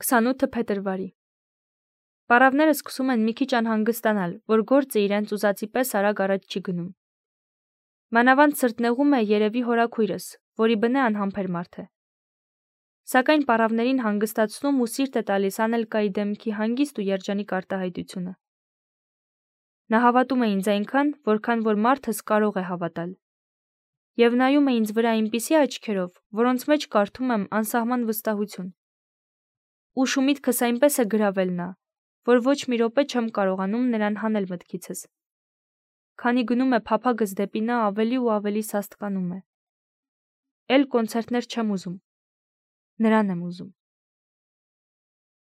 28 փետրվարի։ Պարավները սկսում են մի քիչ անհանգստանալ, որ գործը իրենց ուզածի պես արագ առաջ չի գնում։ Մանավանդ սրտնեղում է երևի հորաքույրս, որի բնե անհամբեր մարդ է։ Սակայն պարավներին հանգստացնում ու սիրտ է տալիս Անելկայի դեմքի հանգիստ ու երջանիկ արտահայտությունը։ Նա հավատում է ինձ այնքան, որքան որ մարդս կարող է հավատալ։ Եվ նայում է ինձ վրա այնպիսի աչքերով, որոնց մեջ կարդում եմ անսահման վստահություն։ Ուշ ու միտքս այնպես է գրավել նա, որ ոչ մի րոպե չեմ կարողանում նրան հանել մտքիցս։ Քանի գնում է փափագս դեպի նա, ավելի ու ավելի սաստկանում է։ Էլ կոնցերտներ չեմ ուզում։ Նրան եմ ուզում։